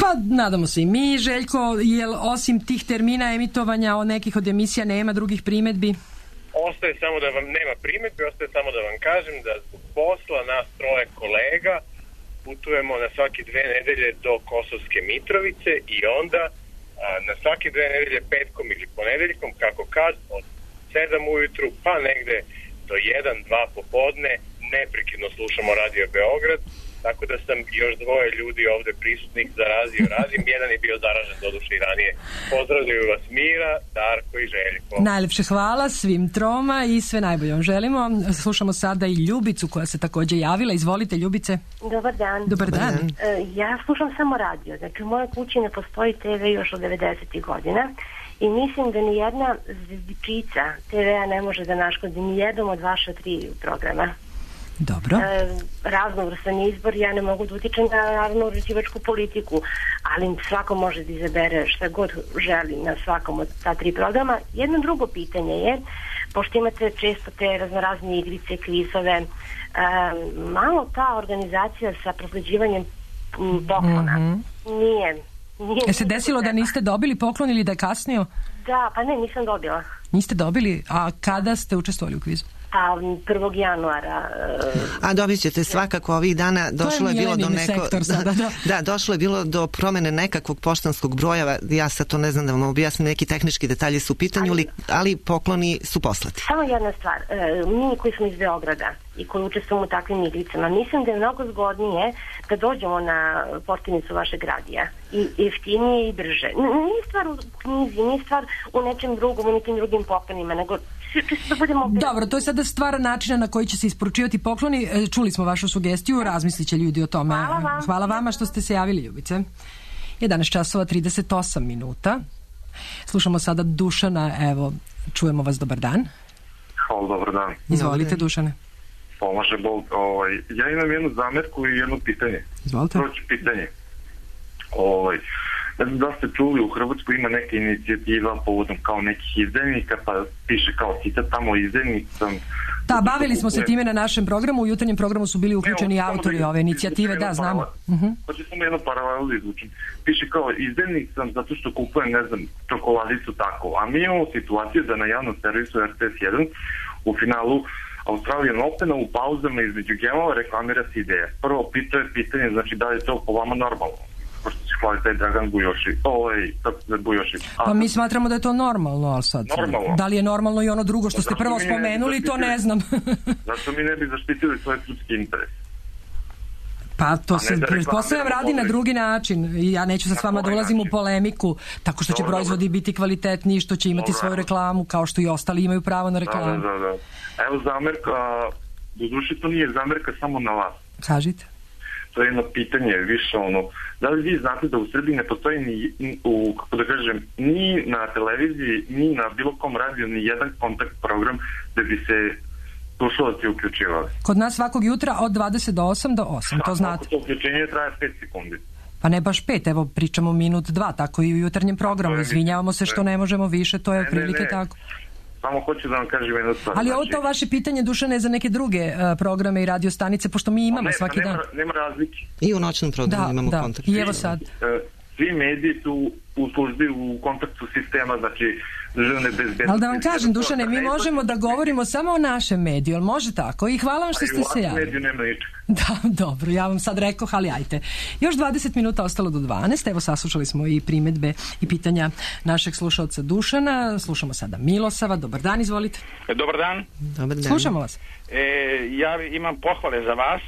Pa nadamo se i mi, Željko, jel osim tih termina emitovanja od nekih od emisija nema drugih primedbi? Ostaje samo da vam nema primedbi, ostaje samo da vam kažem da zbog posla nas troje kolega putujemo na svake 2 nedelje do Kosovske Mitrovice i onda na svake 2 nedelje petkom ili ponedeljkom, kako kad, od 7 ujutru pa negde do 1-2 popodne neprekidno slušamo Radio Beograd, tako da sam još 2 ljudi ovde prisutnih zarazio razim. Jedan je bio zaražen doduše i ranije. Pozdravljaju vas Mira, Darko i Željko. Najlepše hvala svim troma i sve najbolje vam želimo. Slušamo sada i Ljubicu koja se također javila. Izvolite, Ljubice. Dobar dan. Dobar dan. Ja slušam samo radio. Znači u mojoj kući ne postoji TV još od 90. godina i mislim da ni jedna zvičica TV-a ne može da naškodi ni jednom od vaša 3 programa. Dobro. Raznovrstan izbor, ja ne mogu da utičem na naravno uređivačku politiku, ali svako može da izabere šta god želi na svakom od ta 3 programa. Jedno drugo pitanje je, pošto imate često te raznorazne igrice, kvizove, malo ta organizacija sa prosleđivanjem poklona nije. Je se desilo da niste dobili poklon ili da je kasnio? Da, pa ne, nisam dobila. Niste dobili? A kada ste učestvovali u kvizu? 1. januara. A dobit ćete svakako ovih dana. Došlo je bilo do došlo je bilo do promene nekakvog poštanskog broja. Ja sad to ne znam da vam objasnim, neki tehnički detalji su u pitanju, ali pokloni su poslati. Samo jedna stvar. Mi koji smo iz Beograda i koji učestvujemo u takvim igricama, mislim da je mnogo zgodnije da dođemo na postavnicu vašeg radija. I jeftinije i brže. Nije stvar u knjizi, nije stvar u nečem drugom, u nekim drugim poklonima, nego čisto da budemo... Dobro, to je sada stvar načina na koji će se isporučivati pokloni. Čuli smo vašu sugestiju, razmislit će ljudi o tome. Hvala vama što ste se javili, Ljubice. 11 časova 38 minuta. Slušamo sada Dušana, evo, čujemo vas, dobar dan. Hvala, dobar dan. Izvolite, Dušane. Pomaže Bog. Ja imam jednu zamerku i jedno pitanje. Izvolite. Proći pitanje. Ne znam da ste čuli, u Hrvatskoj ima neka inicijativa povodom kao nekih izdajnika, pa piše kao citat tamo izdajnik sam... Da, bavili smo se time na našem programu, u jutarnjem programu su bili uključeni autori ove inicijative, da, znamo. Hoće samo jedno paralelu izvučiti. Piše kao izdajnik sam zato što kupujem, ne znam, čokoladicu tako, a mi imamo situaciju da na javnom servisu RTS 1 u finalu Australian Opena u pauzama između gemova reklamira se ideja. Prvo pitanje, znači da li je to po vama normalno? Pošto se hvali taj Dragan Bujošić. Pa mi smatramo da je to normalno, ali sad... Normalno. Da li je normalno i ono drugo što ste prvo spomenuli, to ne znam. Zašto mi ne bi zaštitili svoje srpski interes? Pa to se pretpostavljam radi na drugi način i ja neću sa s vama da ulazim u polemiku tako što će proizvodi biti kvalitetniji, što će imati svoju reklamu kao što i ostali imaju pravo na reklamu. Da. Evo zamerka, doduše to nije zamerka samo na vas. Kažite. To je jedno pitanje više da li vi znate da u Srbiji ne postoji ni na televiziji, ni na bilo kom radiju ni jedan kontakt program da bi se slušalci uključivali. Kod nas svakog jutra od 20 do 8 do 8, to znate. To uključenje traje 5 sekundi. Pa ne baš 5, evo pričamo minut, 2, tako i u jutarnjem programu. Izvinjavamo se što ne možemo više, to je otprilike tako. Samo hoću da vam kažem jedno stvar. Ali ovo to vaše pitanje, Dušane, za neke druge programe i radio stanice, pošto mi imamo svaki dan. Nema razlike. I u noćnom programu imamo kontakt. I evo sad. Svi mediji su u službi u kontaktu sistema, znači državne bezbednosti. Ali da vam kažem, Dušane, mi možemo da govorimo samo o našem mediju, ali može tako? I hvala vam što ste se javili. Mediju nema ničeg. Da, dobro, ja vam sad rekoh, ali ajte. Još 20 minuta ostalo do 12, evo saslušali smo i primedbe i pitanja našeg slušalca Dušana. Slušamo sada Milosava. Dobar dan, izvolite. Dobar dan. Dobar dan. Slušamo vas. Ja imam pohvale za vas.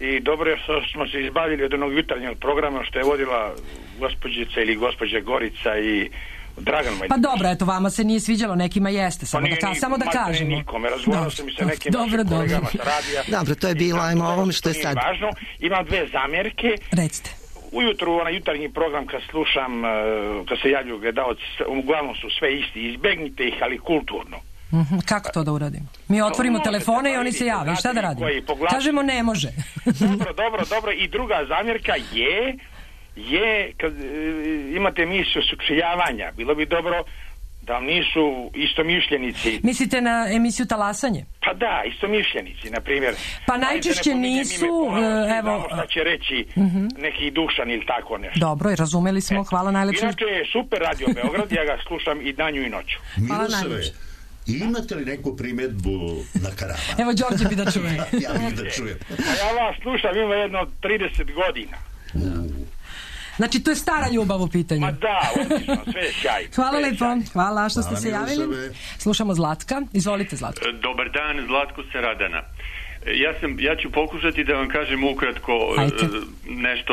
I dobro je što smo se izbavili od onog jutarnjeg programa što je vodila gospođica ili gospođa Gorica i Dragan Majdan. Pa dobro, eto, vama se nije sviđalo, nekima jeste, samo da kažemo. Nikome, razgovarao sam i sa nekim našim kolegama sa radija. Dobro, to je bilo, ajmo ovome što je sad. Važno. Imam dve zamjerke. Recite. Ujutru, onaj jutarnji program kad slušam, kad se javljaju gledalci, uglavnom su sve isti, izbegnite ih, ali kulturno. Kako to da uradimo? Mi otvorimo telefone i oni se jave. Šta da radimo? Kažemo ne može. Dobro. I druga zamjerka je kad imate emisiju sučeljavanja, bilo bi dobro da vam nisu istomišljenici. Mislite na emisiju Talasanje? Pa da, istomišljenici, na primjer. Pa najčešće nisu, evo... Šta će reći neki Dušan ili tako nešto. Dobro, razumeli smo, hvala najlepše. Inače je super Radio Beograd, ja ga slušam i danju i noću. Milosave, imate li neku primjedbu na Karavan? Evo, Đorđe bi da čuje. Ja bih da čujem. Ja vas slušam, ima jedno 30 godina. Znači, to je stara ljubav u pitanju. Ma da, odlično, sve je sjaj. Hvala lepo, hvala što ste se javili. Slušamo Zlatka, izvolite Zlatko. Dobar dan, Zlatko sa Radana. Ja ću pokušati da vam kažem ukratko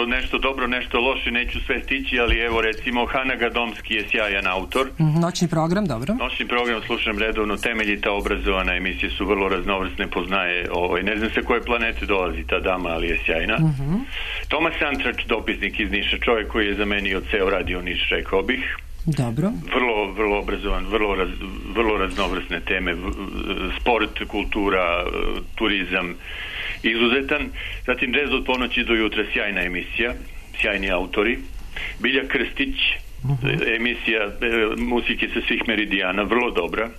nešto dobro, nešto loše, neću sve stići, ali evo recimo Hana Gadomski je sjajan autor. Noćni program, dobro. Noćni program slušam redovno, temeljita, obrazovana, emisije su vrlo raznovrsne, poznaje, ne znam sa koje planete dolazi ta dama, ali je sjajna. Tomas Antrač, dopisnik iz Niša, čovjek koji je zamenio ceo radio Niš, rekao bih. Dobro. Vrlo obrazovan, vrlo raznovrsne teme, sport, kultura, turizam, izuzetan. Zatim Džez od ponoći do jutra, sjajna emisija, sjajni autori. Bilja Krstić, emisija muzike sa svih meridijana, vrlo dobra.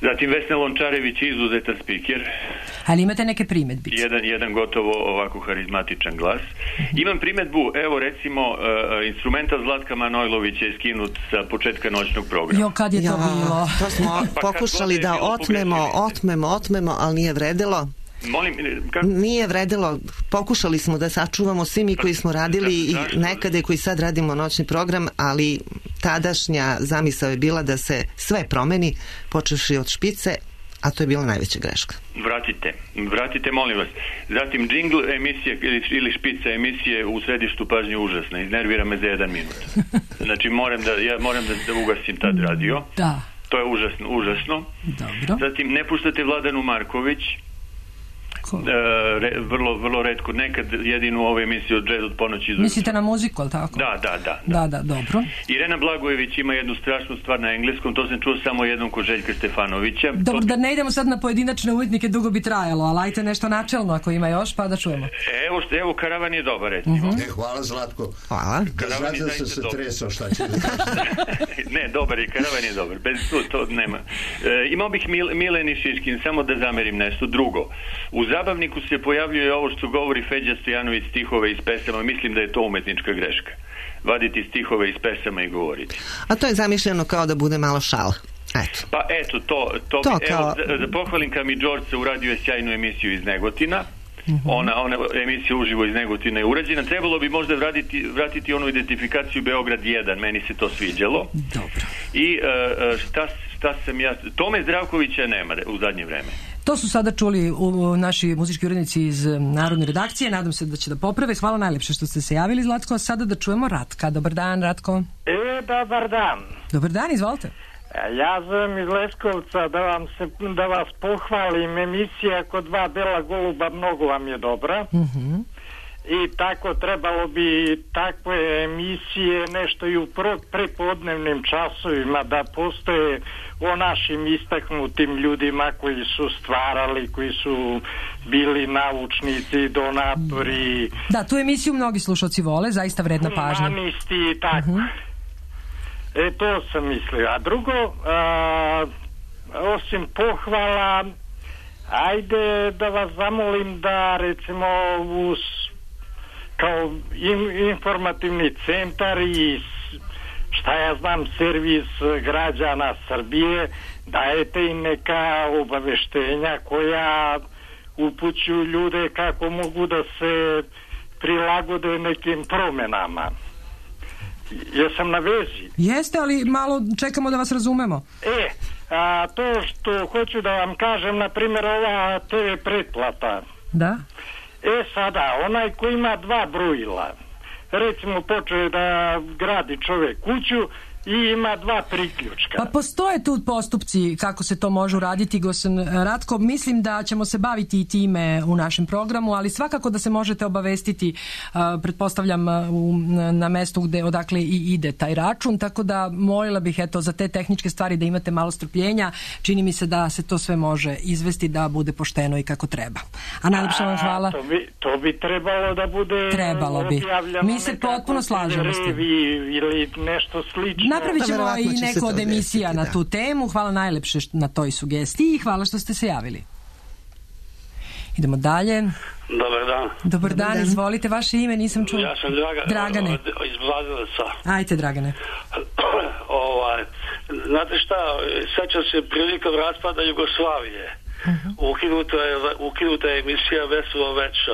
Zatim Vesna Lončarević, izuzetan spiker. Ali imate neke primedbice? Jedan gotovo ovako harizmatičan glas. Imam primedbu, evo recimo instrumental Zlatka Manojlovića je skinut sa početka noćnog programa. Jo, kad je to bilo? To smo pokušali da otmemo, ali nije vredilo. Nije vredilo, pokušali smo da sačuvamo svi mi koji smo radili i nekada koji sad radimo noćni program, ali tadašnja zamisao je bila da se sve promeni, počevši od špice, a to je bila najveća greška. Vratite, molim vas. Zatim džingl emisije ili špica emisije u središtu pažnje užasna, iznervira me za 1 minut. Znači moram da ugasim tad radio. Da. To je užasno. Dobro. Zatim ne puštate Vladanu Marković. Vrlo retko, nekad jedinu ovu emisiju od Jazz od ponoći. Mislite na muziku, ali tako? Da, dobro. Irena Blagojević ima jednu strašnu stvar na engleskom, to sam čuo samo jednom kod Željka Stefanovića. Dobro, da ne idemo sad na pojedinačne umetnike, dugo bi trajalo, ali ajte nešto načelno ako ima još, pa da čujemo. Evo Karavan je dobar, recimo. Hvala Zlatko. Hvala. Karavan je zaista se tresao, šta će da kažem. Ne, dobar je, Karavan je dobar, bez to nema. Imao bih Mileni Šiškin, samo da zamerim nešto drugo. U zabavniku se pojavljuje ovo što govori Feđa Stojanović, stihove iz pesama. Mislim da je to umetnička greška. Vaditi stihove iz pesama i govoriti. A to je zamišljeno kao da bude malo šala. Eto. Pa eto, to kao... Evo, da pohvalim Kami Đorđe, uradio je sjajnu emisiju iz Negotina. Ona emisija uživo iz Negotina je urađena. Trebalo bi možda vratiti onu identifikaciju Beograd 1. Meni se to sviđalo. Dobro. I šta sam ja... Tome Zdravkovića nema u zadnje vreme. To su sada čuli naši muzički urednici iz Narodne redakcije. Nadam se da će da poprave. Hvala najlepše što ste se javili, Zlatko. A sada da čujemo Ratka. Dobar dan, Ratko. Dobar dan. Dobar dan, izvolite. Ja zovem iz Leskovca da vas pohvalim. Emisija kod dva bela goluba mnogo vam je dobra. I tako trebalo bi takve emisije nešto i u prepodnevnim časovima da postoje o našim istaknutim ljudima koji su stvarali, koji su bili naučnici, donatori. Da, tu emisiju mnogi slušalci vole, zaista vredna pažnja. Humanisti i tako. To sam mislio. A drugo, osim pohvala, ajde da vas zamolim da recimo kao informativni centar i šta ja znam, servis građana Srbije, dajete im neka obaveštenja koja upućuju ljude kako mogu da se prilagode nekim promenama. Jesam na vezi? Jeste, ali malo čekamo da vas razumemo. To što hoću da vam kažem, na primjer, ova TV pretplata. Da? Sada, onaj koji ima 2 brojila, recimo počeo da gradi čovjek kuću i ima 2 priključka. Pa postoje tu postupci kako se to može uraditi, gospodin Ratko. Mislim da ćemo se baviti i time u našem programu, ali svakako da se možete obavestiti, pretpostavljam, na mestu odakle i ide taj račun, tako da molila bih za te tehničke stvari da imate malo strpljenja. Čini mi se da se to sve može izvesti da bude pošteno i kako treba. A najlepša vam hvala. To bi trebalo da bude objavljeno. Mi se potpuno slažemo s tim. Ili nešto slično. Napravit ćemo i neko od emisija na tu temu. Hvala najlepše na toj sugestiji i hvala što ste se javili. Idemo dalje. Dobar dan. Dobar dan, izvolite vaše ime, nisam čula. Ja sam Dragane. Iz Blazevaca. Ajte, Dragane. Znate šta, sećam se prilikom raspada Jugoslavije. Ukinuta je emisija Veselo veče,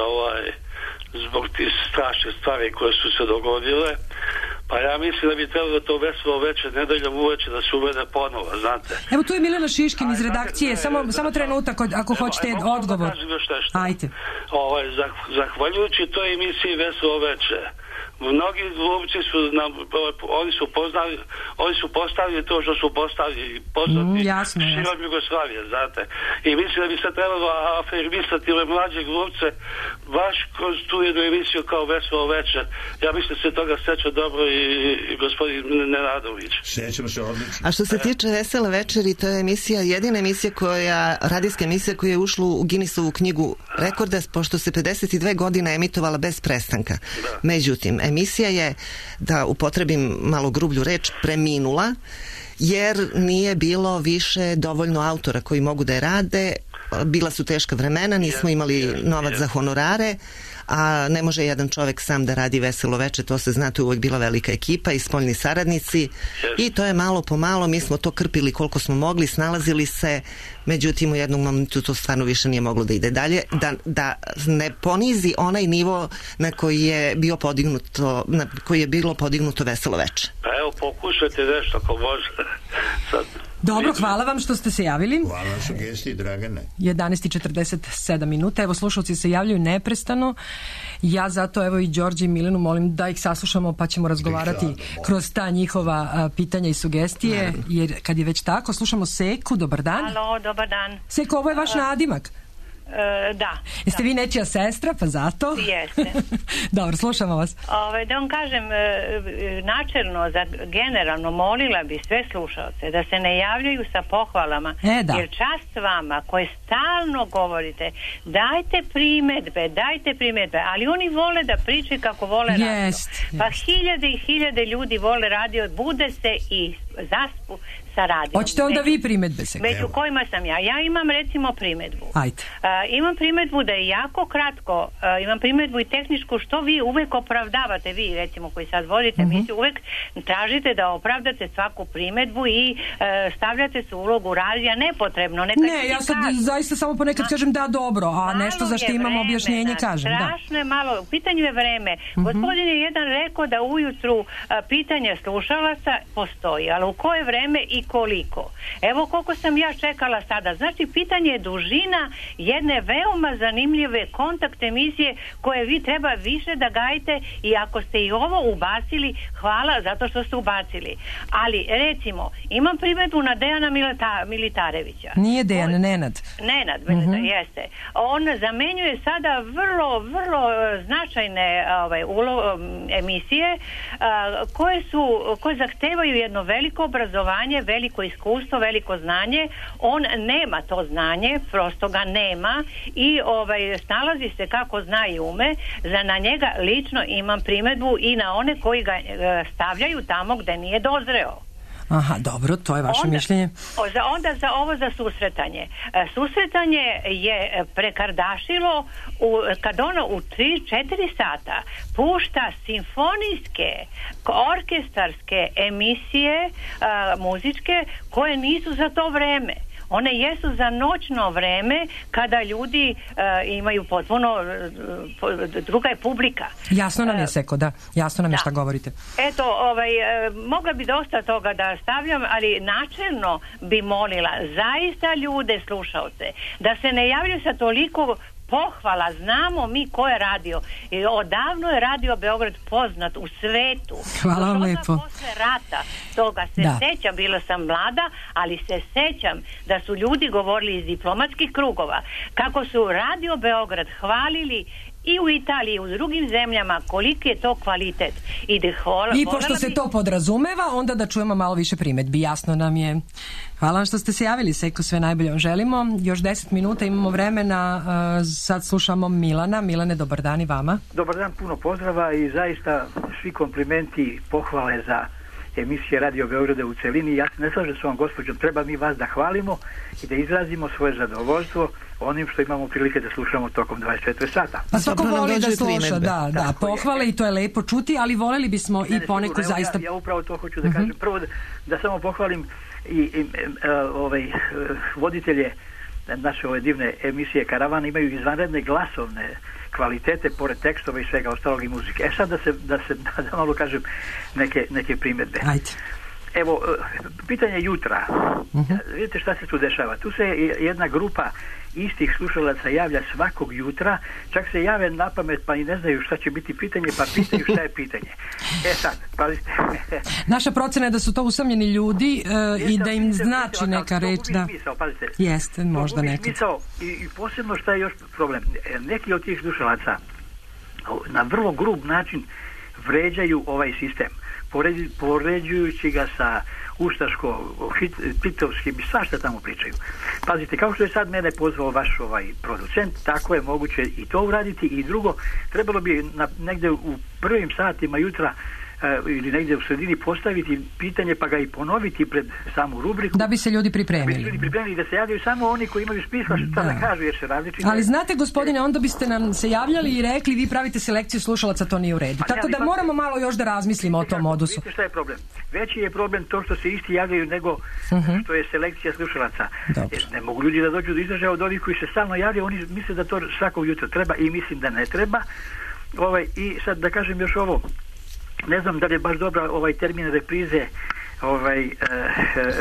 zbog tih strašnih stvari koje su se dogodile. Pa ja mislim da bi trebalo da to Veselo veče, nedeljom uveče, da se uvede ponovo, znate. Evo tu je Milena Šiškin iz redakcije, samo trenutak ako hoćete odgovor. Ajte. Zahvaljujući toj emisiji Veselo veče, mnogi glumci su oni su postavili to što su postavili širom Jugoslavije, znate. I mislim da bi se trebalo afirmisati ove mlađe glumce baš kroz tu jednu emisiju kao Veselo veče. Ja mislim da se toga seća dobro i gospodin Nenadović. Sećamo se odlično. A što se tiče Vesele večeri, to je jedina emisija radijska emisija koja je ušla u Guinnessovu knjigu rekorda, pošto se 52 godina emitovala bez prestanka. Međutim, emisija je, da upotrebim malo grublju reč, preminula, jer nije bilo više dovoljno autora koji mogu da je rade. Bila su teška vremena, nismo imali novac za honorare, a ne može jedan čovek sam da radi Veselo veče, to se zna, to je uvek bila velika ekipa i spoljni saradnici i to je malo po malo, mi smo to krpili koliko smo mogli, snalazili se, međutim u jednom momentu to stvarno više nije moglo da ide dalje, da ne ponizi onaj nivo na koji je bilo podignuto Veselo veče. Pa evo, pokušajte nešto ako može. Dobro, hvala vam što ste se javili. Hvala vam sugestiji, Dragane. 11:47 minuta. Evo, slušalci se javljaju neprestano. Ja zato, evo i Đorđe i Milenu molim da ih saslušamo, pa ćemo razgovarati kroz ta njihova pitanja i sugestije. Jer kad je već tako, slušamo Seku. Dobar dan. Halo, dobar dan. Seko, ovo je vaš nadimak. Da. Jeste vi nečija sestra, pa zato? Jeste. Dobro, slušamo vas. Da vam kažem, načelno, generalno, molila bi sve slušalce da se ne javljaju sa pohvalama, jer čast vama koje stalno govorite, dajte primedbe, ali oni vole da pričaju kako vole radio. Pa hiljade i hiljade ljudi vole radio, bude se i zaspu sa radijom. Hoćete onda vi primedbe se? Među kojima sam ja. Ja imam recimo primedbu. Ajde. Imam primjedbu da je jako kratko, imam primjedbu i tehničku, što vi uvek opravdavate, vi recimo koji sad vodite emisiju, uvek tražite da opravdate svaku primjedbu i stavljate se u ulogu radija nepotrebno. Ne, ja sad zaista samo ponekad kažem da, dobro, a nešto za što imam objašnjenje kažem. Strašno je malo, u pitanju je vreme. Gospodin je jedan rekao da ujutru pitanje slušalaca postoji, ali u koje vreme i koliko. Evo koliko sam ja čekala sada. Znači, pitanje je dužina jedne veoma zanimljive kontakt emisije koje vi treba više da gajite, i ako ste i ovo ubacili, hvala zato što ste ubacili. Ali, recimo, imam primjedbu na Dejana Militarevića. Nije Dejan, Nenad. Nenad, jeste. On zamenjuje sada vrlo, vrlo značajne emisije koje zahtevaju jedno veliko obrazovanje, veliko iskustvo, veliko znanje. On nema to znanje, prosto ga nema i snalazi se kako zna i ume. Na njega lično imam primjedbu i na one koji ga stavljaju tamo gde nije dozreo. Aha, dobro, to je vaše mišljenje. Onda za susretanje. Susretanje je prekardašilo kad ono u 3-4 sata pušta simfonijske, orkestarske emisije muzičke koje nisu za to vreme. One jesu za noćno vreme kada ljudi imaju potpuno druga je publika. Jasno nam je, Seko, da. Jasno nam je šta govorite. Eto, mogla bi dosta toga da stavljam, ali načelno bi molila zaista ljude, slušaoce, da se ne javljaju sa toliko pohvala. Znamo mi ko je radio. I odavno je Radio Beograd poznat u svetu. Hvala vam lepo. Posle rata toga se sećam, bila sam mlada, ali se sećam da su ljudi govorili iz diplomatskih krugova kako su Radio Beograd hvalili i u Italiji i u drugim zemljama koliki je to kvalitet. I pošto se to podrazumeva, onda da čujemo malo više primedbi. Jasno nam je. Hvala vam što ste se javili, Seko, sve najbolje vam želimo. Još 10 minuta imamo vremena, sad slušamo Milana. Milane, dobar dan i vama. Dobar dan, puno pozdrava i zaista svi komplimenti, pohvale za emisije Radio Beograda u celini. Ja se ne slažem s ovom gospođom, treba mi vas da hvalimo i da izrazimo svoje zadovoljstvo onim što imamo prilike da slušamo tokom 24 sata. Pa svako voli da sluša, da, pohvale i to je lepo čuti, ali voleli bismo i poneku zaista... Ja upravo to hoću da kažem. Prvo da samo pohvalim i voditelje naše ove divne emisije Karavan imaju izvanredne glasovne kvalitete pored tekstova i svega ostalog i muzike. Sad da malo kažem neke primjedbe. Ajde. Evo, pitanje jutra. Vidite šta se tu dešava. Tu se jedna grupa istih slušalaca javlja svakog jutra, čak se jave na pamet pa i ne znaju šta će biti pitanje, pa pitaju šta je pitanje. Sad, pazite. Naša procena je da su to usamljeni ljudi i da im znači neka reč. Da. Jeste, možda nekad. I posebno šta je još problem. Neki od tih slušalaca na vrlo grub način vređaju ovaj sistem, poređujući ga sa ustaško-pitovskim i svašta tamo pričaju. Pazite, kao što je sad mene pozvao vaš producent, tako je moguće i to uraditi. I drugo, trebalo bi negde u prvim satima jutra ili negdje u sredini postaviti pitanje pa ga i ponoviti pred samu rubriku. Da bi se ljudi pripremili. Da se javljaju samo oni koji imaju smisla šta da kažu jer se različite. Ali znate, gospodine, onda biste nam se javljali i rekli vi pravite selekciju slušalaca, to nije u redu. Tako da moramo malo još da razmislimo o tom odusu. Vidite šta je problem? Veći je problem to što se isti javljaju nego što je selekcija slušalaca. Ne mogu ljudi da dođu do izražaja od ovih koji se stalno javljaju, oni misle da to svakog jutra treba i mislim da ne treba. I sad da kažem još ovo. Ne znam da li je baš dobra termin reprize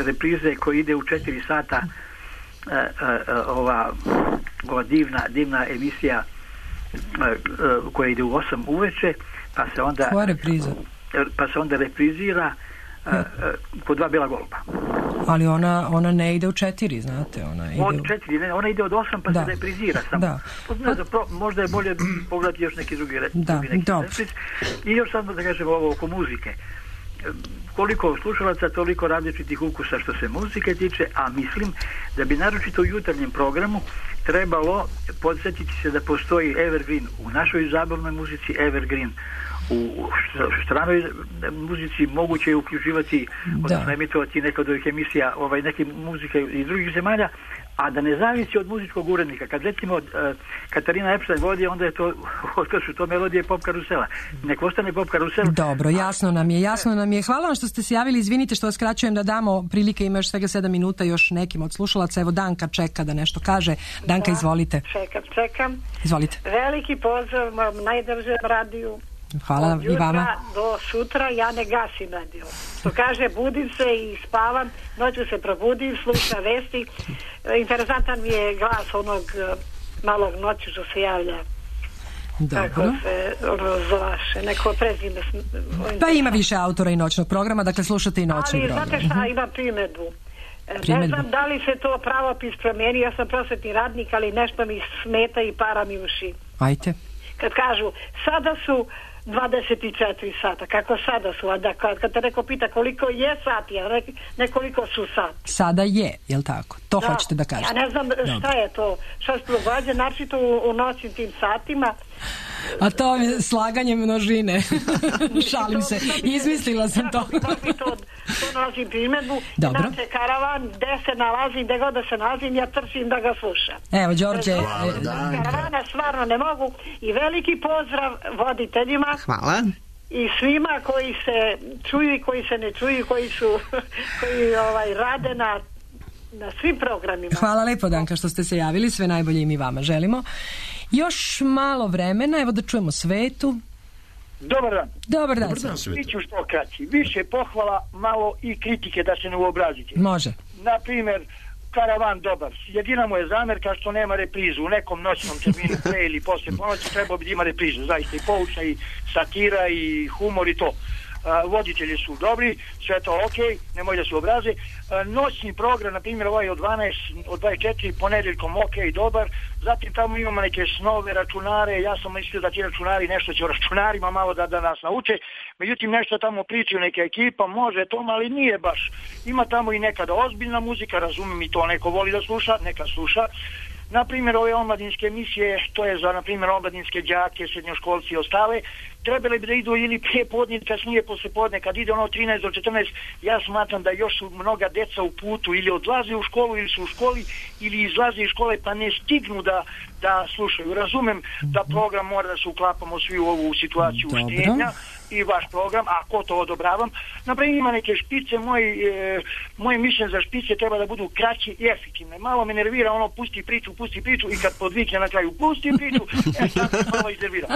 reprize koji ide u 4 sata ova divna emisija koja ide u 8 uveče pa se onda koja repriza? Pa se onda reprizira po 2 Bela goluba. Ali ona ne ide u 4, znate, ona ide od 8 pa se reprizira samo. Možda je bolje pogledati još neki drugi i još samo da kažem ovo oko muzike. Koliko slušalaca, toliko različitih ukusa što se muzike tiče, a mislim da bi naročito u jutarnjem programu trebalo podsjetiti se da postoji evergreen u našoj zabavnoj muzici, evergreen u stranoj muzici, moguće je uključivati, odnosno emitovati neke od ovih emisija, neke muzike iz drugih zemalja, a da ne zavisi od muzičkog urednika. Kad recimo Katarina Epstein vodi, onda je to, otkad su to melodije pop karusela. Nek ostane pop karusela. Dobro, jasno nam je. Hvala vam što ste se javili, izvinite što vas kraćujem, da damo prilike, ima još svega 7 minuta još nekim od slušalaca. Evo Danka čeka da nešto kaže. Danka, izvolite. Čekam. Izvolite. Veliki pozdrav najdržem radiju. Hvala i vama. Do sutra ja ne gasim radio. To kaže, budim se i spavam, noću se probudim, slušam vesti. Interesantan mi je glas onog malog noću što se javlja. Dobro. Kako se zvaše, neko prezime. Pa ima više autora i noćnog programa, dakle slušate i noćni program. Ali znate šta, imam primjedbu. Ne znam da li se to pravopis promijeni, ja sam prosvetni radnik, ali nešto mi smeta i para mi uši. Ajte. Kad kažu, sada su 24 sata, kako sada su, a da kad te neko pita koliko je sati, a ne koliko su sati. Sada je, jel tako? To hoćete da kažete. Ja ne znam šta je to, šta se događa, naročito u noćnim tim satima. A to je slaganje množine. Šalim se, izmislila sam to. To nalazim primjedbu. Inače, karavan, gde se nalazim, gde god da se nalazim, ja trčim da ga slušam. Evo, Đorđe. Karavana stvarno ne mogu. I veliki pozdrav voditeljima. Hvala. I svima koji se čuju i koji se ne čuju, koji rade na svim programima. Hvala lepo, Danka, što ste se javili. Sve najbolje i mi vama želimo. Još malo vremena, evo da čujemo Svetu. Dobar dan. Dobar dan, Biću što kraći. Više pohvala, malo i kritike da se ne uobrazite. Može. Na primjer, karavan dobar. Jedina mu je zamjerka što nema reprizu. U nekom noćnom terminu pre ili posle ponoći trebao bi da ima reprizu. Zaista i poučna i satira i humor i to. Voditelji su dobri, sve to ok, nemoj da se obraze. Noćni program, na primjer ovaj od 24 ponedeljkom ok, dobar. Zatim tamo imamo neke snove, računare. Ja sam mislio da ti računari nešto će o računarima malo da nas nauče. Međutim, nešto tamo pričaju neka ekipa, može to, ali nije baš. Ima tamo i nekada ozbiljna muzika, razumijem, i to neko voli da sluša, neka sluša. Na primjer, ove omladinske emisije, to je za, na primjer, omladinske đake, srednjoškolci i ostale, trebali bi da idu ili prije podne, kasnije posle podne, kad ide ono 13 do 14, ja smatram da još su mnoga deca u putu, ili odlaze u školu, ili su u školi, ili izlaze iz škole, pa ne stignu da slušaju. Razumem da program mora da se uklapamo svi u ovu situaciju štenja i vaš program, ako to odobravam. Naprimjer, ima neke špice, moje mišljenje za špice treba da budu kraće i efektivne. Malo me nervira ono pusti priču i kad podvikne na kraju pusti priču, sad me malo iznervira.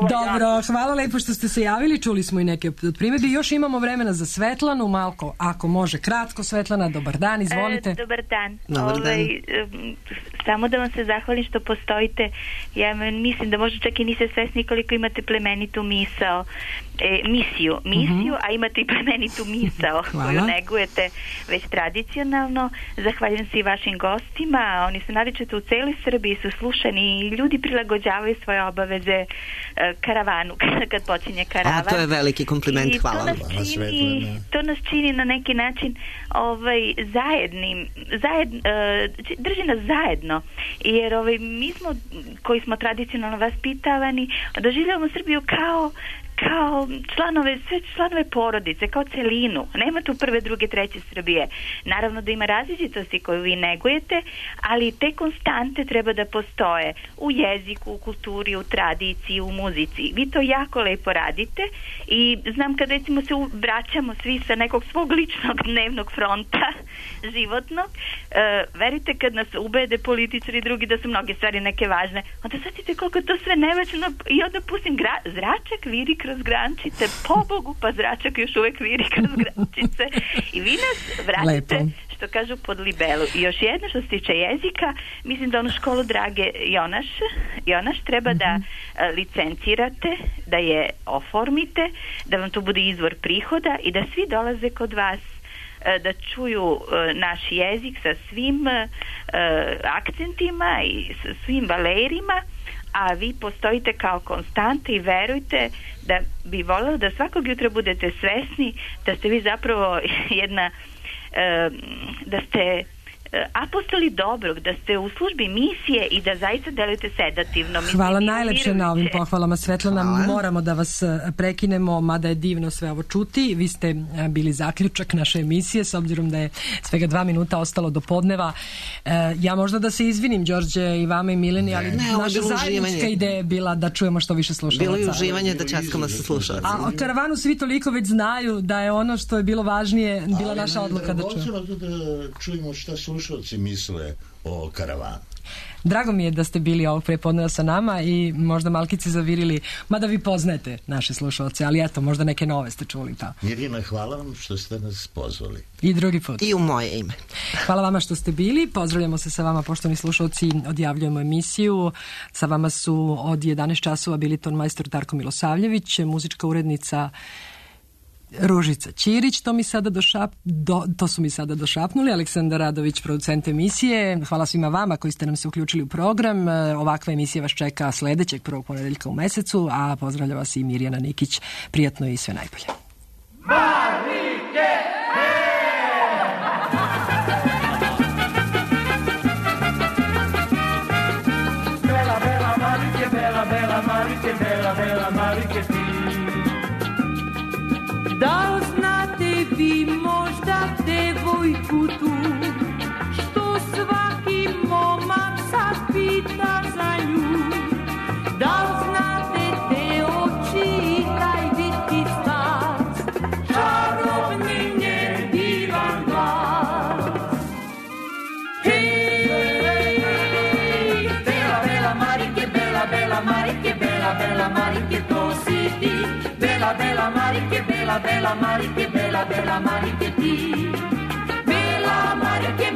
Dobro, hvala lepo što ste se javili, čuli smo i neke od primjedbi. Još imamo vremena za Svetlanu, Malko, ako može kratko. Svetlana, dobar dan, izvolite. Dobar dan. Dobar dan. Samo da vam se zahvalim što postojite. Ja mislim da možda čak i niste svesni koliko imate plemenitu misiju, a imate i plemenitu misao koju negujete već tradicionalno. Zahvaljujem se i vašim gostima. Oni su naročito u celoj Srbiji su slušani i ljudi prilagođavaju svoje obaveze karavanu kad počinje karavan. A to je veliki kompliment, hvala vam. To nas čini na neki način drži nas zajedno, jer mi smo koji smo tradicionalno vaspitavani doživljavamo Srbiju kao članove porodice, kao celinu. Nema tu prve, druge, treće Srbije. Naravno da ima različitosti koju vi negujete, ali te konstante treba da postoje u jeziku, u kulturi, u tradiciji, u muzici. Vi to jako lepo radite i znam kad recimo se vraćamo svi sa nekog svog ličnog dnevnog fronta životnog, verujte kad nas ubede političari i drugi da su mnoge stvari neke važne, onda shvatite koliko to sve nevažno i onda pustim zračak viri kroz grančice, pobogu, pa zračak još uvek viri kroz grančice i vi nas vratite, što kažu, pod libelu. I još jedno što se tiče jezika, mislim da onu školu Drage Jonaš treba da licencirate, da je oformite, da vam to bude izvor prihoda i da svi dolaze kod vas da čuju naš jezik sa svim akcentima i sa svim valerima, a vi postojite kao konstanta i verujte da bi voljela da svakog jutra budete svesni da ste vi zapravo da ste apostoli dobrog, da ste u službi misije i da zaista delujete sedativno. Hvala najlepše na ovim pohvalama, Svetlana. Moramo da vas prekinemo, mada je divno sve ovo čuti. Vi ste bili zaključak naše emisije, s obzirom da je svega 2 minuta ostalo do podneva. Ja možda da se izvinim, Đorđe, i vama i Mileni, ali naša zajednička ideja je bila da čujemo što više slušalaca. Bilo je uživanje da časkamo sa slušalacima. A o karavanu svi toliko već znaju da je ono što je bilo važnije bila naša odluka da čujemo. Ali da čujemo šta slušalci misle o karavanu. Drago mi je da ste bili ovog prepodneva sa nama i možda malkice zavirili, mada vi poznajete naše slušalce, ali eto, možda neke nove ste čuli. Pa. Mirjana, hvala vam što ste nas pozvali. I drugi put. I u moje ime. Hvala vama što ste bili, pozdravljamo se sa vama, poštovani slušalci, odjavljujemo emisiju. Sa vama su od 11 časova bili ton majstor Darko Milosavljević, muzička urednica Ružica Ćirić, to su mi sada došapnuli, Aleksandar Radović, producent emisije. Hvala svima vama koji ste nam se uključili u program. Ovakva emisija vas čeka sledećeg prvog ponedeljka u mesecu, a pozdravlja vas i Mirjana Nikić. Prijatno i sve najbolje. Marike! Bela, bela, Marike, bela, bela, Marike, bela, bela, Marike, ti. Da li znate vi možda devojku tu, što svaki momak sad pita za nju? Da li znate te oči i taj vitki stas, čarobni njen divan glas? Hej, bela, bela Marike, bela, bela Marike, bela, bela Marike, to si ti. Bela, bela Marike, bela, bela Marike, bela, bela Marike, ti. Bela Marike,